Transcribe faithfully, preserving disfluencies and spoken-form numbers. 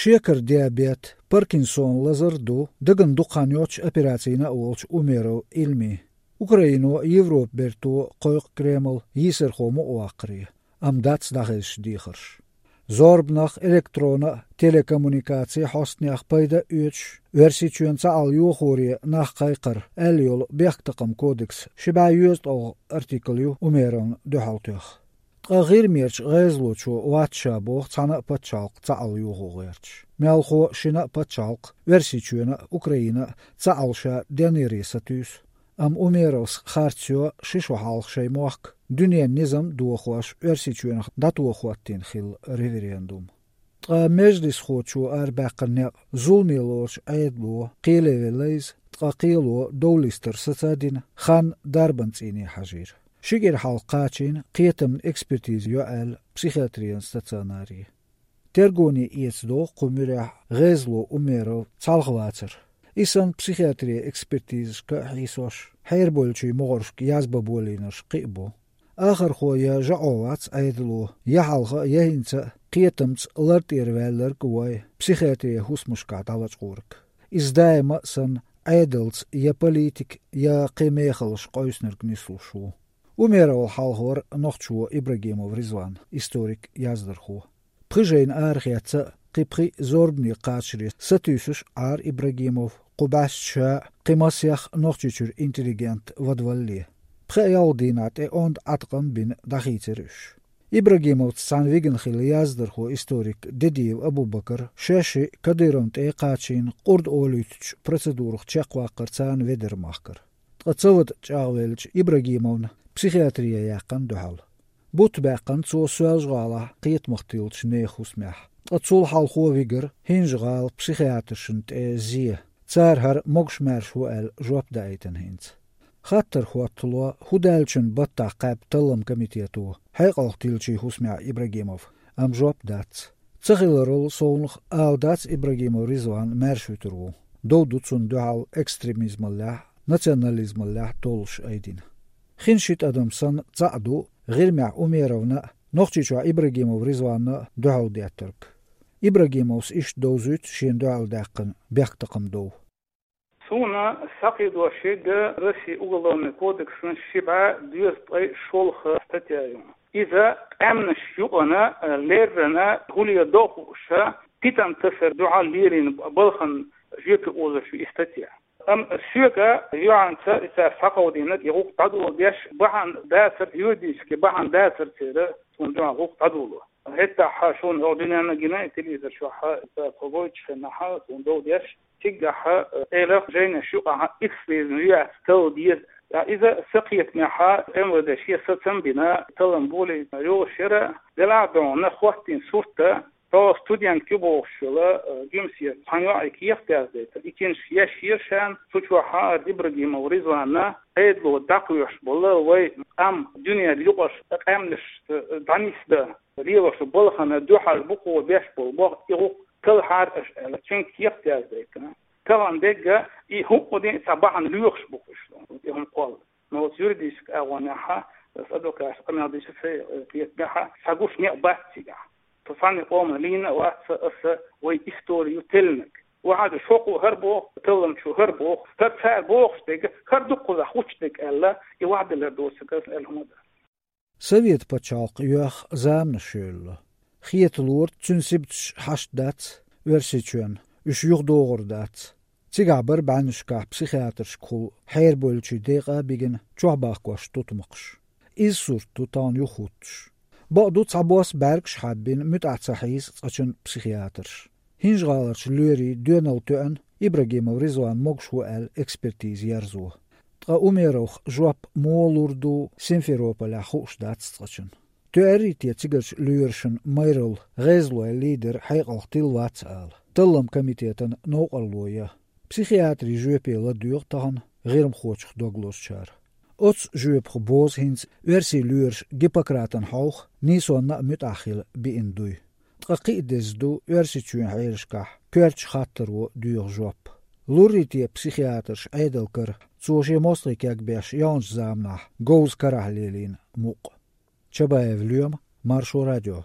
Шекара диабет, Паркинсон лазар а ду дагана дукха хан йоццуш операцина а волчу Умеров Ильмин. Украино а, Европа берто а кхойкху Кремль йийсархо мукъаваккхаре, амма дац дӀахезаш дехарш. Зорбанах, электронан а, телекоммуникацийн хьостанех пайда а оьцуш, Оьрсийчоьнан цхьаалла йохоре нах кхайкхар аьлла йолу бехктакхаман кодексан ши бӀе йоьзткъалгӀа артикл ю Умеровна дуьхьал тоьхна. Ткъа ГӀирмерчу гӀезалочо вац ша боху цхьана а пачхьалкх цхьаалла йохо гӀерташ. Мелхо а шина а пачхьалкх, Оьрсийчоьнан а, Украинан а, цхьаалла ша денъяре сатуьйсу. Амма Умеровс харц йо ши шо хьалха шайн мохк дуьненан низам а дохош, Оьрсийчоьнах дӀатоха хӀоттийна хилла референдум. Ткъа межлисхочо арабаьккхина некъ зуламе лоруш Ӏедало кхеле велла иза, ткъа кхело довлистар саца а дина, хан дарбан цӀийне хьажийра. Ши кӀира хьалха кхачийна кхетамна экспертиза йо аьлла психиатрин стационаре. Тергоне эцадо кху муьрехь гӀезало Умеров цхьалха вацар. И санна психиатрин экспертизашка а хьийсош, хьерабевллачийн могӀаршка язбан болийнарш кхин а бу. Ахархо я жаӀо вац Ӏедало, я хьалха а, я хӀинца а кхетамца лар тӀера ваьлларг а вой, психиатрин хӀусамашкахь дӀалачкъорг. Иза даима а санна, Ӏедалца я политика, я кхин мехаллаш къовсинарг нислуш ву. Умеровал хьалхавара нохчо Ибрагимов Ризван, историк, яздархо. Пхи жайна арахеца а, кхин пхиъ зорбане кхачаре сатуьйсуш Ӏара Ибрагимов, кху бӀаьста ша а, кхин масех а Нохчийчуьра интеллигент вадвалале. Пхи-ялх дийнахь тӀе онда Ӏаткъам а бина дӀахийцира уьш. Ибрагимовца цхьаьна вигна хилла яздархо, историк Дедиев Абубакар шаьш а Кадыровна тӀе а кхачийна, къурд олуьйтучу процедурах чекхваккхар царна ведар махкара. Ткъа ца вада чӀагӀвеллачу Ибрагимовна психиатрия яьккхина дуьхьал. Бутт баьккхина цо Соьлжа-ГӀалахь кхетамах тиллачу нехан хӀусамехь. Ткъа цул хьалхо вигара ХӀинжа-ГӀала психиатршна тӀе зе. Цара хӀара могуш-маьрша ву аьлла жоп даийтина хӀинца. Хаттар хӀоттало, хӀун даьллачун баттахь кхаьбна таллам комитето хьекъалх тиллачийн хӀусамехь Ибрагимов, амма жоп дац. Ца хиларал совнах ала дац Ибрагимов Ризван маьрша вуьтур ву. Дов ду цунна дуьхьал экстремизмаллехь а, национализмаллехь а толлуш айдина. Хин ши тӀадам санна цхьаъ ду ГӀирмехь Умеровна а, Нохчийчохь Ибрагимов Ризванна а дуьхьал деттарг. Ибрагимовс иштта довзуьйту шена дуьхьал даьккхина бехктакхаман дов. Суна схьакхийдош ерг Россин Уголовный кодексан ши бӀе дезткъе шолгӀа статья ю. Иза къаьмнаш юкъана, леррина, хӀуле дохуша, питана тасар дуьхьал лерина балхана жоьпе озуш ю и статья. Амма соьга юьхьанца и цара схьакховдийнарг, и гӀуллакх дӀадоло деш бахьана дацар, юридически бахьана дацар церан цунна дуьхьал гӀуллакх дӀадоло. ХӀеттахь шуна хӀокху дуьненна гина, и телевизор чохь и цара кхо гойтуш хенахь, цунна дов деш, цигахь, э, элах жайнаш юкъахь икс безна юьхьац талла деза. Ткъа иза сан кхетамехь МВД шен сацам а бина, таллам болийта йолуш яра, делахь а дуьхьал хӀоттийна сурт а, Тхо студентка ю бохуш йолу, э, Гуьмсе цхьана йоӀе кехат яздайтар. И киншка еш йира шена, цу чохь хӀара Ибрагимов Ризванна Ӏедало дӀакхоьхьуш болу вай къам дуьненан юкъарш къаьмнашца дӀанисдан лелош балхана дуьхьал бу кхо беш болу боху, и гӀуллакх талхьара аша аьлла, цуьнга кехат яздайтина. Тахана дегга и хӀуъа дин а цхьа бахьана лоьхуш бу уьш, и хӀума кхолла. Но вот юридически агӀонехь, ас адвокаташ къамел дича сайн, э, кхетамехь, схьагуш некъ бац цигахь. Со цхьанна къоман лийна а вац аса вай историю теллинарг. Вахьаджа шокъо хӀара боху, талламчо хӀара боху, хӀара цара бохуш дерг, хӀара дуккхузахь хуттуш дерг аьлла, и вахьделлар доцург аса аьлла хӀума дац. Совет пачхьалкх йоьхна заманаш йолало. Хеталора, цуьнан сибаташ хьашт дац Оьрсийчоьнна, уьш юхадогӀур дац. Цигахь бара бӀеннашкахь психиатршкахула хьерабевллачийн декъа а бигина чохь бахкош тутмакхаш. Иза сурт ду тахана юхахӀуттуш. Бакъду, цхьабосса бӀаьргаш хьаббина муьтӀахь ца хьийза цкъачунна психиатрш. ХӀинжа-ГӀаларчу лоьрийн доьналла тоьъна Ибрагимов Ризван могуш ву аьлла экспертиза ерзо. Ткъа Умеровх жоп муха лур ду Симферополехь хууш дац цкъачунна. Тоьарий те цигарчу лоьрашна майралла гӀезалойн лидер хьекъалх тилла вац ала, таллам комитетан новкъарло ян? Психиатрийн жоьпе ладоьгӀу тахана гӀирмхочух дог лозучара. Оцу жоьпах бозу хӀинца оьрсийн лоьраша Гиппократан хьовха нийсонна а муьтӀахь хила биъна дуй. Ткъа кхин а деза ду Оьрсийчоьнан хьелашкахь коьртачу хаттаро доьху жоп. Луррий те психиатрш Ӏедал кара, цо шен мостагӀий кегбеш яханчу заманахь говза карахь лелийна мукъ? Чабаев Лоьма, Маршо радио.